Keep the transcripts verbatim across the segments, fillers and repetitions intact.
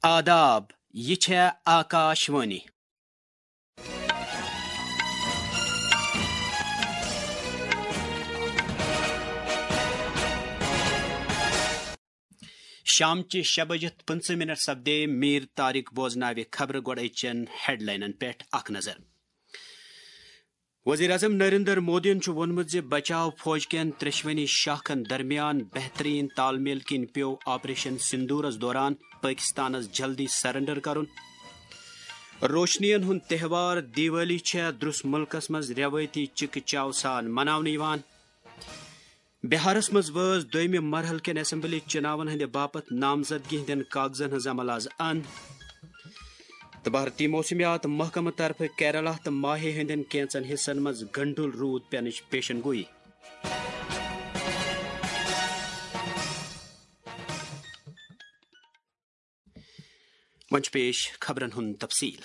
آداب، یہِ چھےٚ آکاشوانی۔ شامچہِ شےٚ بجہِ پٕنٛژٕہ منٹ سپدے۔ میٖر طارق بوزناوِ خبرٕ۔ گۄڈٕ أزچٮ۪ن ہیڈلاینن پٮ۪ٹھ اکھ نظر۔ وزیر اعظم نریندر مودیَن چھُ ووٚنمُت زِ بچاو فوج کٮ۪ن ترٛٮ۪شوٕنی شاخن درمیان بہتریٖن تال میل کِنۍ پیوٚو آپریشن سندورس دوران پٲکستانس جلدی سرنڈر کرُن۔ روشنین ہُنٛد تہوار دیوالی چھےٚ درٛس مُلکس منٛز رٮ۪وٲیتی چِکہٕ چاو سان مناونہٕ یِوان۔ بہارس منٛز وٲژ دوٚیمہِ مرحلہٕ کٮ۪ن اسمبلی چُناون ہٕنٛدِ باپتھ نامزدگی ہٕنٛدٮ۪ن کاغذن ہٕنٛز عمل از اند۔ تہٕ بھارتی موسمیات محکمہٕ طرفہٕ کیرالہ تہٕ ماہے ہٕنٛدٮ۪ن کینٛژن حصن منٛز گنڈُل روٗد پینٕچ پیشن گویی۔ وۄنۍ چھُ پیش خبرن ہُنٛد تفصیل۔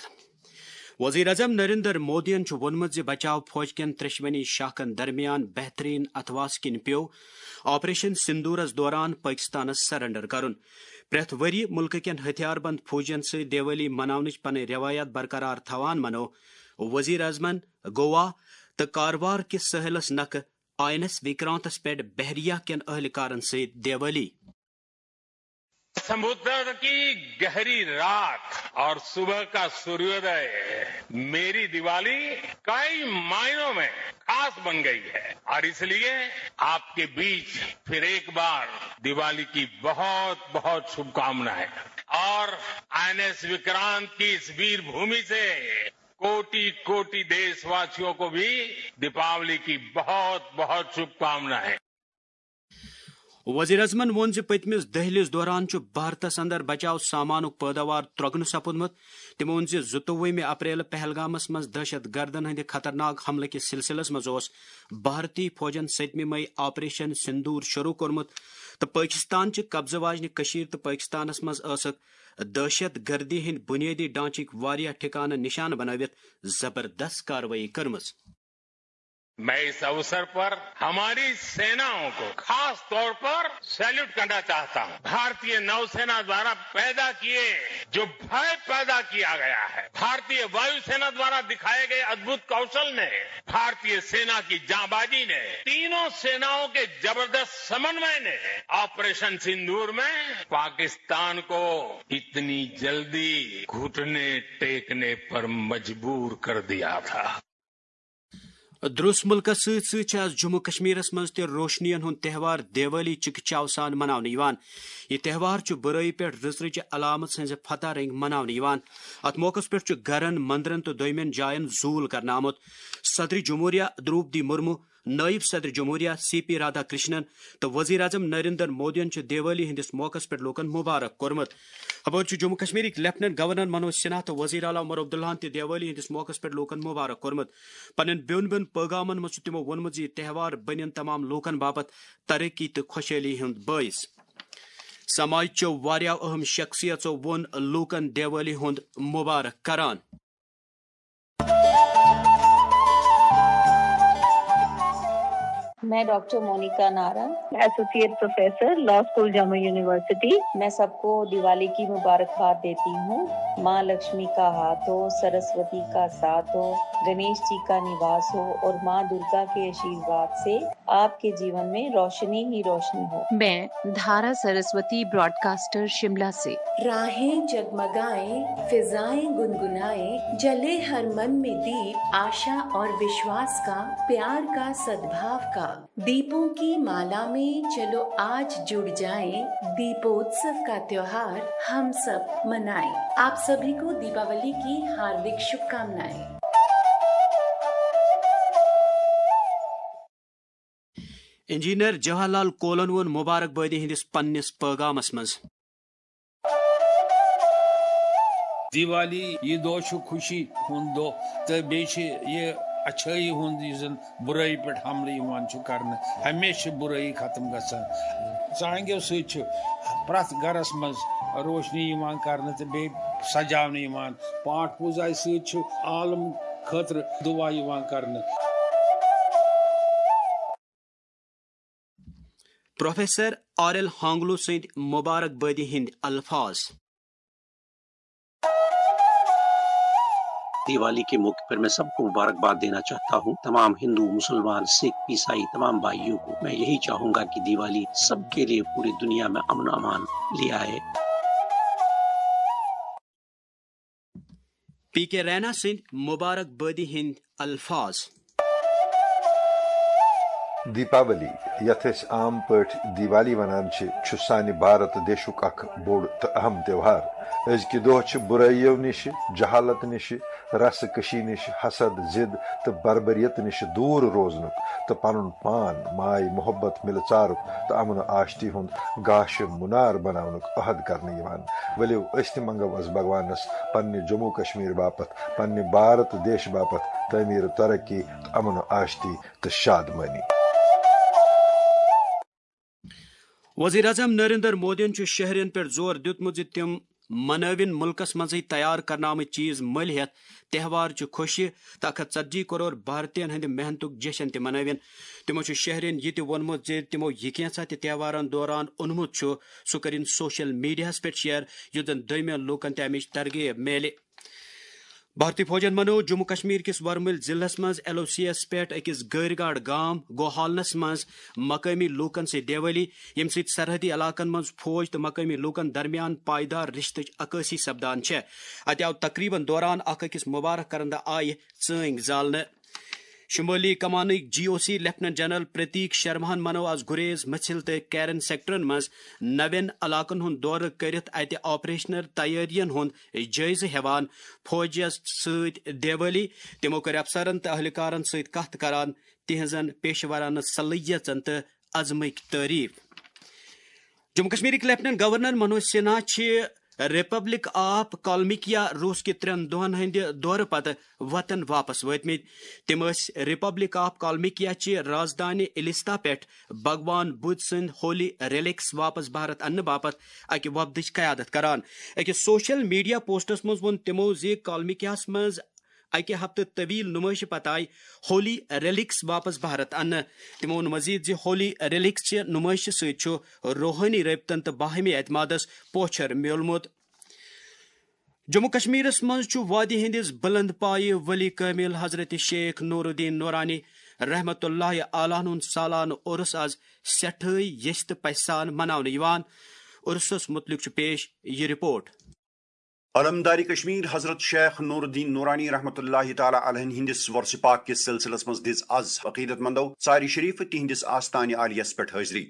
وزیر اعظم نریندر مودیَن چھُ ووٚنمُت زِ بچاو فوج کٮ۪ن ترٛٮ۪شوٕنی شاخن درمیان بہتریٖن اتھواس کِنۍ پیوٚو آپریشن سندورس دوران پٲکستانس سرنڈر کرُن۔ پرٛٮ۪تھ ؤرۍ یہِ مُلکہٕ کٮ۪ن ہتھیار بند فوجن سۭتۍ دیوالی مناونٕچ پنٕنۍ روایات برقرار تھاوان منوو وزیر اعظمن گوا تہٕ کاروار کِس سٲحلس نکھٕ آئی این ایس وکرانتس پٮ۪ٹھ بحریہ کٮ۪ن اہلکارن سۭتۍ دیوالی۔ समुद्र की गहरी रात और सुबह का सूर्योदय मेरी दिवाली कई मायनों में खास बन गई है और इसलिए आपके बीच फिर एक बार दिवाली की बहुत बहुत शुभकामनाएं। और आईएनएस विक्रांत की इस वीर भूमि से कोटि कोटि देशवासियों को भी दीपावली की बहुत बहुत शुभकामनाएं। وزیر اعظمن ووٚن زِ پٔتمِس دٔہلِس دوران چھُ بھارتس اندر بچاو سامانُک پٲداوار ترۄگنہٕ سپُدمُت۔ تٔمۍ ووٚن زِ زٕتووُہمہِ اپریلہٕ پہلگامس منٛز دہشت گردن ہٕنٛدِ خطرناک حملہٕ کِس سلسلس منٛز اوس بھارتی فوجن ستمہِ مئی آپریشن سندور شروع کوٚرمُت تہٕ پٲکستان چہِ قبضہٕ واجنہِ کٔشیٖر تہٕ پٲکستانس منٛز ٲسٕکھ دہشت گردی ہٕنٛدۍ بُنیٲدی ڈھانچٕکۍ واریاہ ٹھکانہٕ نشانہٕ بنٲوِتھ زبردست کاروٲیی کٔرمٕژ۔ मैं इस अवसर पर हमारी सेनाओं को खास तौर पर सैल्यूट करना चाहता हूं। भारतीय नौसेना द्वारा पैदा किए जो भय पैदा किया गया है, भारतीय वायुसेना द्वारा दिखाए गए अद्भुत कौशल ने, भारतीय सेना की जांबाजी ने, तीनों सेनाओं के जबरदस्त समन्वय ने ऑपरेशन सिंदूर में पाकिस्तान को इतनी जल्दी घुटने टेकने पर मजबूर कर दिया था। درٛس مُلکس سۭتۍ سۭتۍ چھِ از جموں کشمیرس منٛز تہِ روشنین ہُنٛد تہوار دیوالی چِکہٕ چاو سان مناونہٕ یِوان۔ یہِ تہوار چھُ بُرٲیی پٮ۪ٹھ رٕژرٕچہِ علامت ہٕنٛزِ فتح رنگۍ مناونہٕ یِوان۔ اتھ موقعس پٮ۪ٹھ چھُ گرن، مندرن تہٕ دوٚیمٮ۪ن جاین زوٗل کرنہٕ آمُت۔ صدر جمہوریہ دروپدی مرمو، نٲیِب صدر جمہوریہ سی پی رادھا کرشنن تہٕ وزیر اعظم نریندر مودیَن چھُ دیوالی ہٕنٛدِس موقعس پٮ۪ٹھ لوٗکن مبارک کوٚرمُت۔ ہپٲرۍ چھُ جموں کشمیرٕکۍ لیفٹیننٹ گورنر منوج سنہا تہٕ وزیر اعلیٰ عمر عبداللہَن تہِ دیوالی ہٕنٛدِس موقعس پٮ۪ٹھ لوٗکن مبارک کوٚرمُت۔ پننٮ۪ن بیوٚن بیوٚن پٲغامن منٛز چھُ تِمو ووٚنمُت زِ یہِ تہوار بنن تمام لوٗکن باپتھ ترقی تہٕ خۄشحٲلی ہُنٛد بٲعث۔ سماج چٮ۪و واریاہو اہم شخصیژو ووٚن لوٗکن دیوالی ہُنٛد مبارک کران۔ میں ڈاکٹر مونیکا نارنگ، ایسوسی ایٹ پروفیسر، لا اسکول، جامع یونیورسٹی۔ میں سب کو دیوالی کی مبارکباد دیتی ہوں۔ ماں لکشمی کا ہاتھ ہو، سرسوتی کا ساتھ ہو، گنیش جی کا نواس ہو اور ماں درگا کے آشیرواد سے آپ کے جیون میں روشنی ہی روشنی ہو۔ میں دھارا سرسوتی براڈکاسٹر شملہ سے۔ راہیں جگمگائیں، فضائیں گنگنائیں، جلے ہر من میں دیپ، آشا اور وشواس کا، پیار کا، سدبھاو کا۔ दीपों की माला में चलो आज जुड़ जाएं, दीपोत्सव का त्योहार हम सब मनाएं। आप सभी को दीपावली की हार्दिक शुभकामनाएं। انجینئر جواہر لال کولن ووٚن مبارک بٲدی ہٕنٛدِس پننِس پٲغامس منٛز۔ دیوالی، یہِ دۄہ چھُ خوشی ہُنٛد دۄہ تہٕ بیٚیہِ چھِ یہِ اچھٲیی ہُنٛد، یُس زَن بُرٲیی پٮ۪ٹھ حملہٕ یِوان چھُ کرنہٕ۔ ہمیشہِ چھِ بُرٲیی ختم گژھان۔ ژانٛگیو سۭتۍ چھُ پرٛٮ۪تھ گرس منٛز روشنی یِوان کرنہٕ تہٕ بیٚیہِ سجاونہٕ یِوان۔ پاٹھ پوٗزایہِ سۭتۍ چھُ عالم خٲطرٕ دُعا یِوان کرنہٕ۔ پروفیسر آر ایل ہانگلو سٕنٛدۍ مبارک بٲدی ہٕنٛدۍ الفاظ۔ दिवाली के मौके पर मैं सबको मुबारकबाद देना चाहता हूँ। तमाम हिंदू, मुसलमान, सिख, ईसाई, तमाम भाइयों को मैं यही चाहूंगा कि दिवाली सबके लिए पूरी दुनिया में अमन अमान ले आए। پی کے رینا سٕنٛدۍ مبارک بٲدی ہٕنٛدۍ الفاظ۔ دیپاولی، یتھ أسۍ عام پٲٹھۍ دیوالی ونان چھِ، چھُ سانہِ بھارت دیشُک اکھ بوٚڑ تہٕ اہم تہوار۔ أزکہِ دۄہ چھِ بُرٲیِو نِشہِ، جہالت نِشہِ، رسہٕ کشی نِشہِ، حسد، ضد تہٕ بربریت نِشہِ دوٗر روزنُک تہٕ پنُن پان ماے محبت، مِلہٕ ژارُک تہٕ امن و آشتی ہُنٛد گاشہِ مُنار بناونُک عہد کرنہٕ یِوان۔ ؤلِو، أسۍ تہِ منگو أسۍ بھگوانس پننہِ جموں کشمیر باپتھ، پننہِ بھارت دیش باپتھ تعمیر ترقی تہٕ امن و آشتی تہٕ شادمٲنی۔ وزیر اعظم نریندر مودیَن چھُ شہرین پٮ۪ٹھ زور دیُتمُت زِ تِم منٲوِن مُلکَس منٛزٕے تیار کرنہٕ آمٕتۍ چیز مٔلۍ ہٮ۪تھ تہوار چہِ خوشی تہٕ اکھ ہتھ ژتجی کرور بھارتین ہٕنٛدِ محنتُک جشن تہِ منٲوِن۔ تِمَو چھُ شہرین یہِ تہِ ووٚنمُت زِ تِمَو یہِ کینٛژھا تہِ تہوارَن دوران اوٚنمُت چھُ، سُہ کٔرِن سوشل میڈیاہَس پٮ۪ٹھ شیئر، یُتھ زَن دوٚیمٮ۪ن لوٗکَن تہِ اَمِچ ترغیب میلہِ۔ بھارتی فوجن منوو جموں کشمیر کِس ورمُلۍ ضلعس منٛز ایل او سی یَس پٮ۪ٹھ أکِس گٲرۍ گاڑ گام گوہالنس منٛز مقٲمی لوٗکن سۭتۍ دیوٲلی، ییٚمہِ سۭتۍ سرحدی علاقن منٛز فوج تہٕ مقٲمی لوٗکن درمیان پائیدار رشتٕچ عکٲسی سپدان چھےٚ۔ اتہِ آو تقریبن دوران اکھ أکِس مبارک کرن دہ آیہِ ژٲنگۍ زالنہٕ۔ شمٲلی کمانٕکۍ جی او سی لیفٹیننٹ جنرل پرتیک شرماہن منوو از گریز، مچھل تہٕ کیرن سیکٹرن منٛز نوٮ۪ن علاقن ہُنٛد دورٕ کٔرِتھ اتہِ آپریشنل تیٲرین ہُنٛد جٲیزٕ ہٮ۪وان۔ فوجس سۭتۍ دیوٲلی۔ تِمو کٔر افسرن تہٕ اہلکارن سۭتۍ کتھ کران تِہنٛزن پیشہٕ ورانہٕ صلٲحیژن تہٕ عزمٕکۍ تعریف۔ جموں کشمیرٕکۍ لیفٹیننٹ گورنر منوج سنہا چھِ ریپبلک آف کالمیکیا روس کہِ ترٛٮ۪ن دۄہن ہٕنٛدِ دورٕ پتہٕ وطن واپس وٲتمٕتۍ۔ تِم ٲسۍ ریپبلک آف کالمیکیا چہِ رازدانہِ الستا پٮ۪ٹھ بھگوان بدھ سٕنٛدۍ ہولی ریلکس واپس بھارت اننہٕ باپتھ اکہِ وفدٕچ قیادت کران۔ أکِس سوشل میڈیا پوسٹس منٛز ووٚن تِمو زِ کالمیکیاہس منٛز اکہِ ہفتہٕ طویل نمٲیشہِ پتہٕ آیہِ ہولی ریلکس واپس بھارت اننہٕ۔ تِمو ووٚن مزید زِ ہولی ریلکس چہِ نمٲیشہِ سۭتۍ چھُ روحٲنی رٲبطن تہٕ باہمی اعتمادس پوچھر میوٗلمُت۔ جموں کشمیرس منٛز چھُ وادی ہٕنٛدِس بلند پایہِ ولی کٲمل حضرت شیخ نور الدین نورانی رحمت اللہ علیہ ہُنٛد سالانہٕ عرس از سٮ۪ٹھٲے یژھِ تہٕ پژھِ سان مناونہٕ یِوان۔ عرسس متعلق چھُ پیش یہِ رپورٹ۔ علمدار کشمیر حضرت شیخ نور الدین نورانی رحمۃ اللہ تعالیٰ علیہ ہندس ورثہ پاک کس سلسلس منٛز دِژ از عقیدت مندو ژارِ شریف تہندس آستانہِ عالیس پٮ۪ٹھ حٲضری۔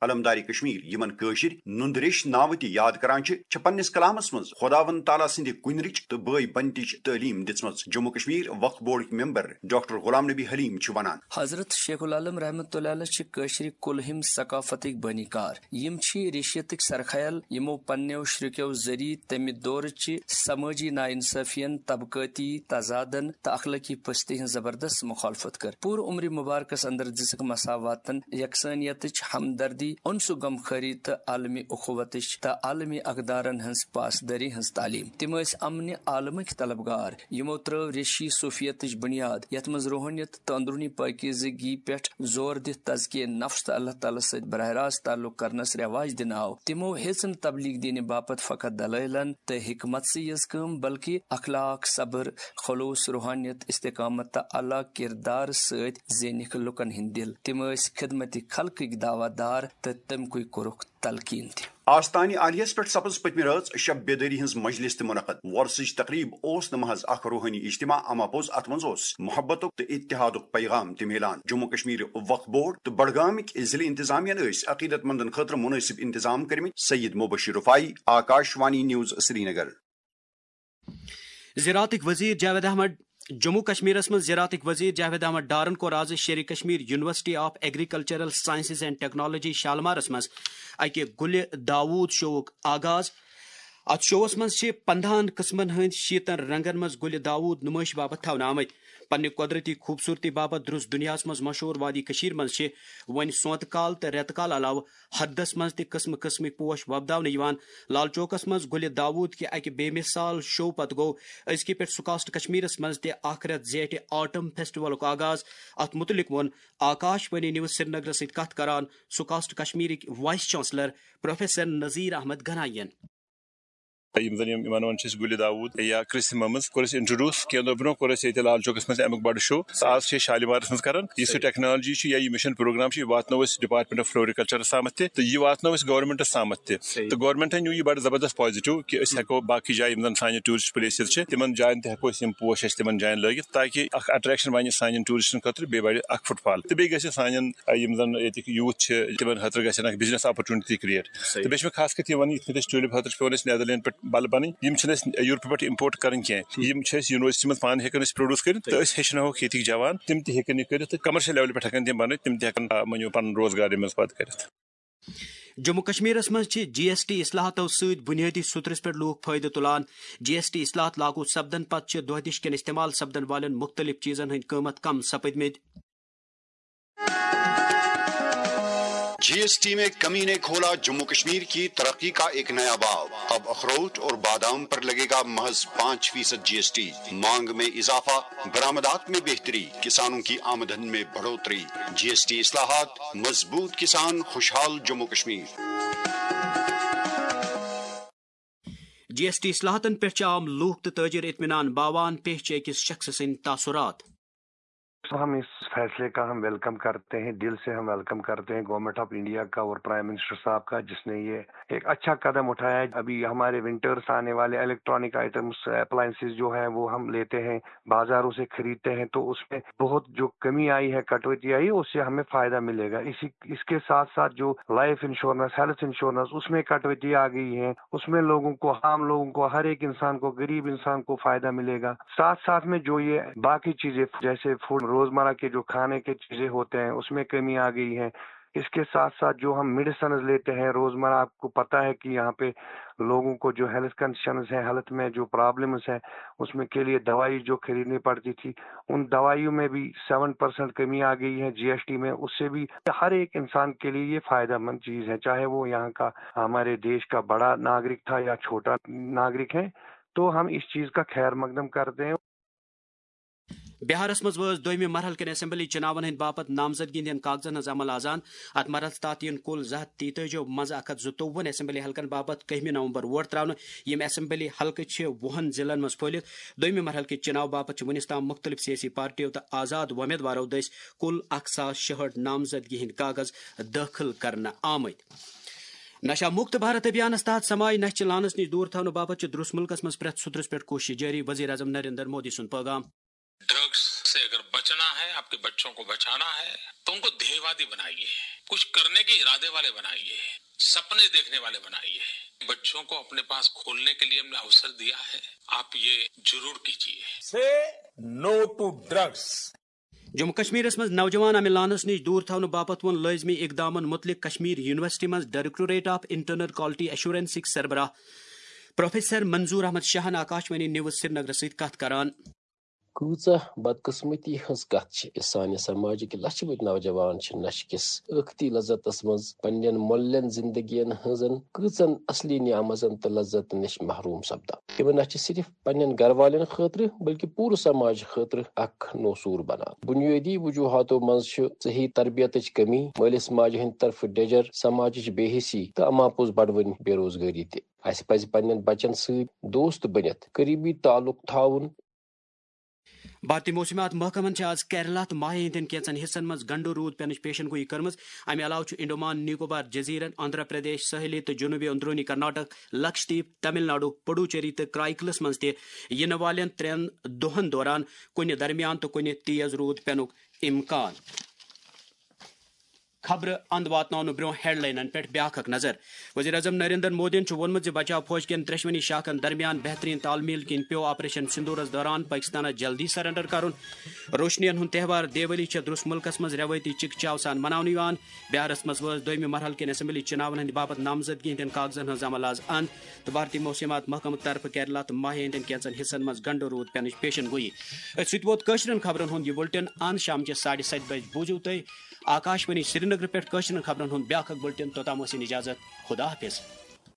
علمدار کشمیر، یمن کٲشِر نُند ریش ناوٕ تہِ یاد کران چھِ، چھِ پننِس کلامس منٛز خداوند تعالیٰ سٕنٛدِ کُنرٕچ تہٕ بٲے بنتٕچ تعلیٖم دِژمٕژ۔ جموں کشمیر وقف بورڈٕکۍ ممبر ڈاکٹر غلام نبی حلیم چھِ ونان۔ حضرت شیخ العالم رحمۃ اللہ علیہ چھِ کٲشرِ کُلہِم ثقافتٕکۍ بٲنی کار۔ یِم چھِ ریشیتٕکۍ سرخیل، یِمو پننیو شرکیو ذٔریعہٕ تمہِ دورٕ چہِ سمٲجی ناانصٲفین، طبقٲتی تضادن تہٕ اخلٲقی پستی ہٕنٛز زبردست مخالفت کٔر۔ پوٗرٕ عمرِ مبارکس اندر دِژٕکھ مساواتن، یکسانیتٕچ ہمدردی، انس و غمخوری تہٕ عالمی اخوتٕچ تہٕ عالمی اقدارن ہٕنٛز پاسدٲری ہٕنٛز تعلیٖم۔ تِم ٲسۍ امنہِ عالمٕکۍ طلبگار، یِمو ترٲو ریشی صوفیتٕچ بُنیاد، یتھ منٛز روحٲنیت تہٕ اندرونی پٲکیزگی پٮ۪ٹھ زور دِتھ تزکیہ نفس تہٕ اللہ تعالیٰ سۭتۍ براہ راست تعلق کرنس رواج دِنہٕ آو۔ تِمو ہیٚژ نہٕ تبلیغ دینہِ باپتھ فقط دلٲیلن تہٕ حکمت سٕے یٲژ کٲم، بلکہِ اخلاق، صبر، خلوص، روحانیت، استقامت تہٕ اعلیٰ کردار سۭتۍ زینِکھ لوٗکن ہٕنٛدۍ دِل۔ تِم ٲسۍ خدمت خلقٕکۍ دعوت دار تہٕ تمکُے کوٚرُکھ تلقین تہِ۔ آستانہِ عالیس پٮ۪ٹھ سپٕز پٔتمہِ رٲژ شب بیدٲری ہٕنٛز مجلس تہِ منعقد۔ وۄرثٕچ تقریب اوس نہٕ محض اکھ روحٲنی اجتماع، اما پوٚز اتھ منٛز اوس محبتُک تہٕ اتحادُک پیغام تہِ میلان۔ جموں کشمیر وقف بورڈ تہٕ بڈگامٕکۍ ضلعہٕ انتظامیہن ٲسۍ عقیدت مندن خٲطرٕ مناسب انتظام کٔرمٕتۍ۔ سید مبشر رفاعی، آکاش وانی نیوز، سرینگر۔ زراعتٕکۍ وزیر جاوید احمد۔ جموں کشمیرس منٛز زراعتٕکۍ وزیر جاوید احمد ڈارن کوٚر آز شیرِ Kashmir University of Agricultural Sciences and Technology شالمارس منٛز اکہِ گُلہِ داوود شووُک آغاز۔ اتھ شووس منٛز چھِ پندہن قٕسمن ہٕنٛدۍ شیٖتن رنگن منٛز گُلہِ داوود نُمٲیشہِ باپتھ تھاونہٕ آمٕتۍ۔ پننہِ قۄدرٔتی خوٗبصوٗرتی باپتھ درٛوس دُنیاہَس منٛز مشہوٗر وادی کٔشیٖر منٛز چھِ وۄنۍ سونتہٕ کال تہٕ رٮ۪تہٕ کال علاوٕ ہردس منٛز تہِ قٕسمہٕ قٕسمٕکۍ پوش وۄپداونہٕ یِوان۔ لال چوکس منٛز گُلہِ داوود کہِ اکہِ بے مثال شو پتہٕ گوٚو أزکہِ پٮ۪ٹھ سکاسٹ کشمیرس منٛز تہِ اکھ رٮ۪تھ زیٹھِ آٹم فیسٹیولُک آغاز۔ اتھ مُتعلق ووٚن آکاش وانی نیوز سرینگرس سۭتۍ کتھ کران سکاسٹ کشمیرٕکۍ vice chancellor professor Nazir Ahmad Ganai ین۔ یِم زَن یِم یِمن وَنان چھِ أسۍ گُلہِ داوود یا کرسممٕز، کوٚر اَسہِ انٹروڈیوس۔ کینٛہہ دۄہ برونٛہہ کوٚر اَسہِ ییٚتہِ لال چوکس منٛز اَمیُک بَڑٕ شو، تہٕ آز چھِ أسۍ شالیمارس منٛز کران۔ یُس یہِ ٹیکنالوجی چھِ یا یہِ مشن پروگرام چھِ، یہِ واتنٲو أسۍ ڈپارٹمنٹ آف فلوریکلچرس تامَتھ تہِ، تہٕ یہِ واتنٲو أسۍ گورنمنٹس تامَتھ تہِ۔ تہٕ گورنمنٹن نیوٗ یہِ بَڑٕ زبردست پازیٹیو کہِ أسۍ ہٮ۪کو باقٕے جایہِ، یِم زَن سانہِ ٹوٗرسٹ پلیسز چھِ، تِمن جاین تہِ ہٮ۪کو أسۍ یِم پوش اَسہِ تِمن جاین لٲگِتھ، تاکہِ اکھ اٹریکشن بَنہِ سانٮ۪ن ٹوٗرسٹن خٲطرٕ، بیٚیہِ بَڑِ اکھ فٹ فال، تہٕ بیٚیہِ گژھِ سانٮ۪ن، یِم زَن ییٚتِکۍ یوٗتھ چھِ، تِمن خٲطرٕ گژھن اکھ بزنس اپرچونٹی کریٹ۔ تہٕ بیٚیہِ چھُ مےٚ خاص کر یہِ وَنُن، یِتھ کٔنۍ أسۍ ٹیوٗلِپ خٲطرٕ چھِ پٮ۪وان اَسہِ نیدرلینڈ پٮ۪ٹھ بَلہٕ بَنٕنۍ، یِم چھِنہٕ اَسہِ یوٗرپہٕ پٮ۪ٹھ اِمپورٹ کَرٕنۍ کینٛہہ۔ یِم چھِ اَسہِ یوٗنیورسٹی منٛز پانہٕ ہٮ۪کان أسۍ پرٛوڈیوٗس کٔرِتھ، تہٕ أسۍ ہیٚچھناوہوکھ ییٚتِکۍ جوان، تِم تہِ ہیٚکن یہِ کٔرِتھ، تہٕ کمرشل لیولہِ پٮ۪ٹھ ہٮ۪کن تِم بَنٲوِتھ، تِم تہِ ہٮ۪کن، آ، مٲنِو، پَنُن روزگار اَمہِ منٛز پَتہٕ کٔرِتھ۔ جموں کشمیرس منٛز چھِ جی ایس ٹی اصلاحاتو سۭتۍ بنیٲدی سطرس پٮ۪ٹھ لوٗکھ فٲیدٕ تُلان۔ جی ایس ٹی اصلاحات لاگو سپدن پتہٕ چھِ دۄہ دِش کٮ۪ن استعمال سپدن والٮ۪ن مُختٔلِف چیٖزن ہٕنٛدۍ قۭمتھ کم سپٕدمٕتۍ۔ جی ایس ٹی میں کمی نے کھولا جموں کشمیر کی ترقی کا ایک نیا باب۔ اب اخروٹ اور بادام پر لگے گا محض پانچ فیصد جی ایس ٹی۔ مانگ میں اضافہ، برآمدات میں بہتری، کسانوں کی آمدن میں بڑھوتری۔ جی ایس ٹی اصلاحات، مضبوط کسان، خوشحال جموں کشمیر۔ جی ایس ٹی اصلاحاتن پٮ۪ٹھ چھِ عام لوٗکھ تہٕ تٲجر اطمینان باوان، پیش چھِ أکِس شخصہٕ سٕنٛدۍ تاثرات۔ ہم اس فیصلے کا ہم ویلکم کرتے ہیں، دل سے ہم ویلکم کرتے ہیں گورنمنٹ آف انڈیا کا اور پرائم منسٹر صاحب کا، جس نے یہ ایک اچھا قدم اٹھایا ہے۔ ابھی ہمارے ونٹرز آنے والے، الیکٹرانک آئٹمس، اپلائنسز جو ہیں وہ ہم لیتے ہیں، بازاروں سے خریدتے ہیں، تو اس میں بہت جو کمی آئی ہے، کٹوتی آئی، اس سے ہمیں فائدہ ملے گا۔ اسی اس کے ساتھ ساتھ جو لائف انشورنس، ہیلتھ انشورنس، اس میں کٹوتی آ گئی ہے، اس میں لوگوں کو، عام لوگوں کو، ہر ایک انسان کو، غریب انسان کو فائدہ ملے گا۔ ساتھ ساتھ میں جو یہ باقی چیزیں جیسے فوڈ، روزمرہ کے جو کھانے کے چیزیں ہوتے ہیں، اس میں کمی آ گئی ہے۔ اس کے ساتھ ساتھ جو ہم میڈیسنز لیتے ہیں روزمرہ، آپ کو پتہ ہے کہ یہاں پہ لوگوں کو جو ہیلتھ کنڈیشنز ہیں، ہیلتھ میں جو پرابلمز ہیں، اس میں کے لیے دوائی جو خریدنی پڑتی تھی، ان دوائیوں میں بھی سیون پرسینٹ کمی آ گئی ہے جی ایس ٹی میں۔ اس سے بھی ہر ایک انسان کے لیے یہ فائدہ مند چیز ہے، چاہے وہ یہاں کا، ہمارے دیش کا بڑا ناگرک تھا یا چھوٹا ناگرک ہے، تو ہم اس چیز کا خیر مقدم کرتے ہیں۔ بہارس منٛز وٲژ دوٚیمہِ مرحلہٕ کٮ۪ن اسمبلی چُناون ہٕنٛدِ باپتھ نامزدگی ہٕنٛدٮ۪ن کاغذن ہٕنٛز عمل آز۔ اتھ مرحلس تحت یِن کُل زٕ ہتھ تیتٲجی منٛز اکھ ہتھ زٕتووُہن اسمبلی حلقن باپتھ کٔہمہِ نومبر ووٹ تراونہٕ۔ یِم اسمبلی حلقہٕ چھِ وُہن ضلعن منٛز پھٔہلِتھ۔ دوٚیمہِ مرحلہٕ کہِ چُناو باپتھ چھِ وُنِس تام مُختٔلِف سیٲسی پارٹیو تہٕ آزاد وۄمیدوارو دٔسۍ کُل اکھ ساس شُہٲٹھ نامزدگی ہٕنٛدۍ کاغذ دٲخل کرنہٕ آمٕتۍ۔ نشہ مکت بھارت ابھیانس تحت سماج نشہٕ چہِ لانس نِش دوٗر تھاونہٕ باپتھ چھِ درٛوس مُلکس منٛز پرٛٮ۪تھ سُترس پٮ۪ٹھ کوٗشش جٲری، وزیر اعظم نریندر مودی سُنٛد پٲغام۔ ڈرگز سے اگر بچنا ہے، آپ کے بچوں کو بچانا ہے، تو ان کو ध्यیوادی بنائیے۔ کچھ کرنے کے ارادے والے بنائیے، سپنے دیکھنے والے بنائیے۔ بچوں کو اپنے پاس کھولنے کے لیے ہم نے اوسر دیا ہے، آپ یہ ضرور کیجیے۔ Say no to drugs. Jammu کشمیرس منٛز نوجوان امہِ لانس نِش دوٗر تھاونہٕ باپتھ ووٚن لٲزمی اقدامن مُتعلق کشمیر یونیورسٹی منٛز ڈائریکٹوریٹ آف انٹرنل کوالٹی ایشورنسٕکۍ سربراہ پروفیسر منظور احمد شاہن آکاشوانی نیوز سرینگرس سۭتۍ کتھ کران۔ کۭژاہ بدقسمتی ہٕنٛز کتھ چھِ، سانہِ سماجٕکۍ لچھِ بٔدۍ نوجوان چھِ نشہٕ کِس ٲختی لذتس منٛز پننٮ۪ن مۄلٮ۪ن زندگین ہٕنٛزن کۭژن اصلی نعمژن تہٕ لذتن نِش محروم سپدان۔ یِم نہ چھِ صرف پننٮ۪ن گرٕ والٮ۪ن خٲطرٕ بلکہِ پوٗرٕ سماج خٲطرٕ اکھ نوسوٗر بنان۔ بنیٲدی وجوہاتو منٛز چھِ صحیح تربیتٕچ کمی، مٲلِس ماجہِ ہٕنٛدِ طرفہٕ ڈیجر، سماجٕچ بے حسی تہٕ اماپوٚز بڑوٕنۍ بے روزگٲری تہِ۔ اسہِ پزِ پننٮ۪ن بچن سۭتۍ دوست بٔنِتھ قریبی تعلق تھاوُن۔ بھارتی موسمیات محکمن چھِ آز کیرلا تہٕ ماہے ہٕنٛدٮ۪ن کینٛژن حصن منٛز گنڈٕ روٗد پینٕچ پیشن گویی کٔرمٕژ۔ امہِ علاوٕ چھُ انڈومان نکوبار جزیرن، آندھرا پردیش، ساحلی تہٕ جنوبی اندرونی کرناٹک، لکشدیپ، تمل ناڈو، پڈوچیری تہٕ کرائیکلس منٛز تہِ یِنہٕ والٮ۪ن ترٛٮ۪ن دۄہن دوران کُنہِ درمیان تہٕ کُنہِ تیز روٗد پینُک امکان۔ خبرٕ اند واتناونہٕ برونٛہہ ہیڈلاینن پٮ۪ٹھ بیاکھ اکھ نظر۔ وزیر اعظم نریندر مودیَن چھُ ووٚنمُت زِ بچاو فوج کٮ۪ن ترٛٮ۪شوٕنی شاخن درمیان بہترین تال میل کِنۍ پیوٚو آپریشن سندورس دوران پٲکستانس جلدی سرنڈر کرُن۔ روشنین ہُنٛد تہوار دیوالی چھےٚ درٛس مُلکس منٛز رٮ۪وٲیتی چکہ چاو سان مناونہٕ یِوان۔ بہارس منٛز وٲژ دوٚیمہِ مرحلہٕ کٮ۪ن اسمبلی چُناون ہٕنٛدِ باپتھ نامزدگی ہٕنٛدٮ۪ن کاغذن ہٕنٛز عمل از اند، تہٕ بھارتی موسمیات محکمہٕ طرفہٕ کیرلا تہٕ ماہے ہٕنٛدٮ۪ن کینٛژن حصن منٛز گنڈٕ روٗد پٮ۪نٕچ پیشن گویی۔ أتھۍ سۭتۍ ووت کٲشرٮ۪ن خبرن ہُنٛد یہِ بُلٹن اند۔ شامچہِ ساڑِ ستہِ بجہِ بوٗزِو تُہۍ آکاشوانی سرینگرٕ پٮ۪ٹھ کٲشرٮ۪ن خبرن ہُنٛد بیٛاکھ اکھ بُلٹن۔ توٚتام ٲسِن اجازت، خدا حافظ۔